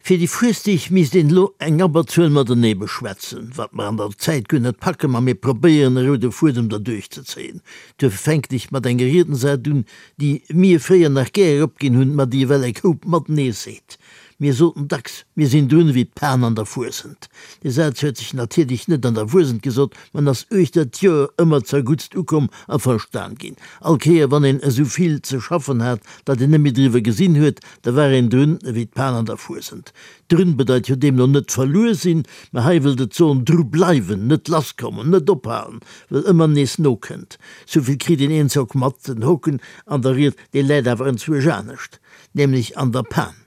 Fir déi Fuesdeeg misst een elo eng Abberzuel matenee beschwätzen, wat mer an der Zäit guer net packen, ma mir probéieren e roude Fuedem derduerch ze zéien. Duerfir fänken ech mat enger Riedensart un, déi mir fréier nach gär eropginn hunn, ma déi ewell eng Koup matenee seet. Mir soten dacks, mir sinn drun ewéi d'Pan an der Fuesent. Dee Saz huet sech natierlech net an der Fuesent gesot, ma en ass uechter d'Joer ëmmer zerguttst ukomm a verstan ginn. All Kéier wann een esou vill ze schaffen hat, datt een net méi driwwer gesinn huet, da war een drun ewéi d'Pan an der Fuesent. Drun bedeit jo deemno net verluer sinn, mä hei wëllt et soen dru bleiwen, net lasskommen, net ophalen, well ëmmer nees nokënnt. Souvill kritt een eenzock mat, den Hoken an der Ried, dee läit awer enzwuesch anescht, nämlech an der Pan.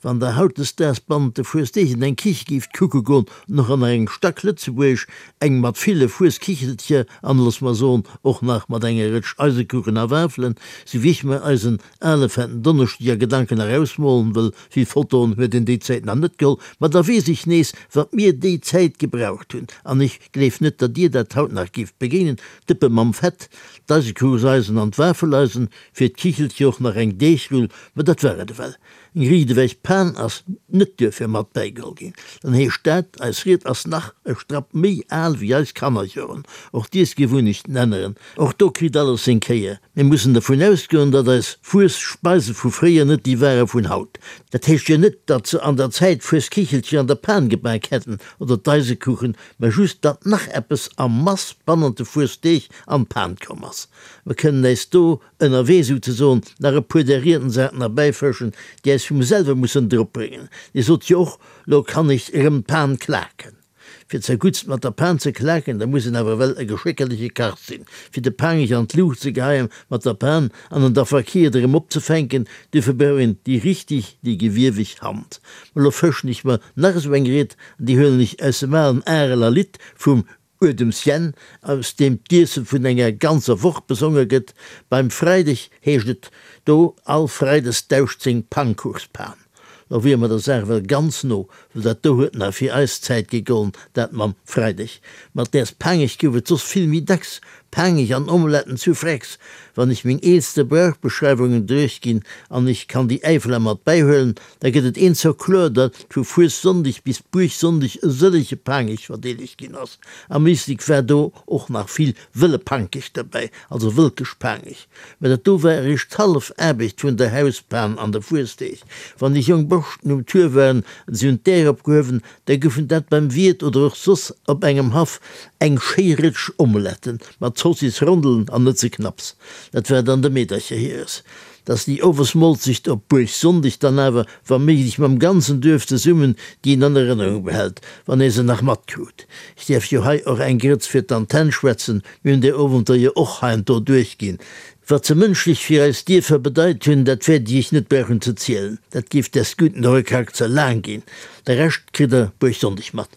Wann der hautdesdaags bannent de Fuesdeeg an eng Kiche géift kucke goen, och an eng Stacklëtzebuergesch, eng mat ville Fueskichelcher an, looss mer soen, och nach mat enger Rëtsch Eisekuchen a Wafelen, sou wéi ech mer eisen ale fetten Donneschdeg a Gedanken erausmolen wëll, vill Fotoen huet een déi Zäit nach net geholl, ma da weess ech nees, wat mir déi Zäit gebraucht hunn, an ech gleef net, datt dir dat haut nach géift begéinen, d'Dëppe mam Fett, d'Eisekuchseisen an d'Wafeleisen, fir d'Kichelcher och nach eng Deegrull, ma dat war et ewell. Eng riichtewech Pan ass net duerfir mat bäigeholl ginn. Dann heescht dat, eis Ried ass nach e Strapp méi al wéi eis Kannerjoren. Och d'Iessgewunnechten änneren. Och do kritt alles seng Kéier. Mir mussen dervun ausgoen, datt eis Fuesspeise vu fréier net déi ware vun haut. Dat heescht jo net, datt se an der Zäit Fuesskichelcher an der Pan gebak hätten oder d'Eisekuchen, mä just, datt nach eppes a Mass bannent de Fuessdeeg an d'Pan komm ass. Mer kënnen äis do ënnerwee souzesoen nach e puer där Riedensarten erbäifëschen, déi äis vum selwe mussen dropbréngen. Dir sot jo och, Lo kann ech erëm d'Pan klaken. Fir zerguttst mat der Pan ze klaken, da muss een awer ewell e geschéckerleche Kach sinn. Fir de Pangech an d'Luucht ze geheien mat der Pan an en da verkiert erëm opzefänken, duerfir brauch een déi richtig, déi gewieweg Hand. Ma lo fëschen ech mer nach esou eng Ried an déi huelen ech aus dem alen Areler Lidd vum Uedems Jänn, aus deem d'Iesse vun enger ganzer Woch besonge gëtt. Beim Freideg heescht et do, All Freides dauscht seng Pannkuchspan. Lo wier mer der Saach ewell ganz no, well dat do huet nach fir eis Zäit gegollen, dat mam Freideg. Mat däers Paangech gouf et soss vill méi dacks Paangech an Omeletten zu Frex. Wann ech meng eelste Brauchbeschreiwungen duerchginn, an ech kann déi Äifeler mat bäihuelen, Da gëtt et een zou kloer, datt vu Fuessonndeg bis Buergsonndeg e sëllege Paangech verdeelegt ginn ass. Am Éislek war do och nach vill wëlle Pankech derbäi, also Wëlkeschpaangech. Mä dat do war eréischt d'hallef Aarbecht vun der Hauspan an de Fuesdeeg. Wann déi jonk Borschten um Tour waren an si hunn d'Äer opgehuewen, da goufen dat beim Wiert oder och soss op engem Haff eng schéi Rëtsch Omeletten mat Zossis-Rondelen an net ze knapps. Dat war dann de Meedercher hires. Dass déi Owesmolzecht op Buergsonndeg dann awer, wa méiglech mam ganzen Duerf zesummen, déi een an Erënnerung behält, wann ee se nach matkrut. Ech däerf jo hei och eng Grëtz fir d'Antenn schwätzen, mir hunn där Owenter jo och heiansdo duerchginn. Wat se mënschlech fir eis Dierfer bedeit hunn, dat wäert ech iech net brauchen ze zielen, dat géif des Gudden och e Krack ze laang ginn. De Rescht kritt der Buergsonndeg mat.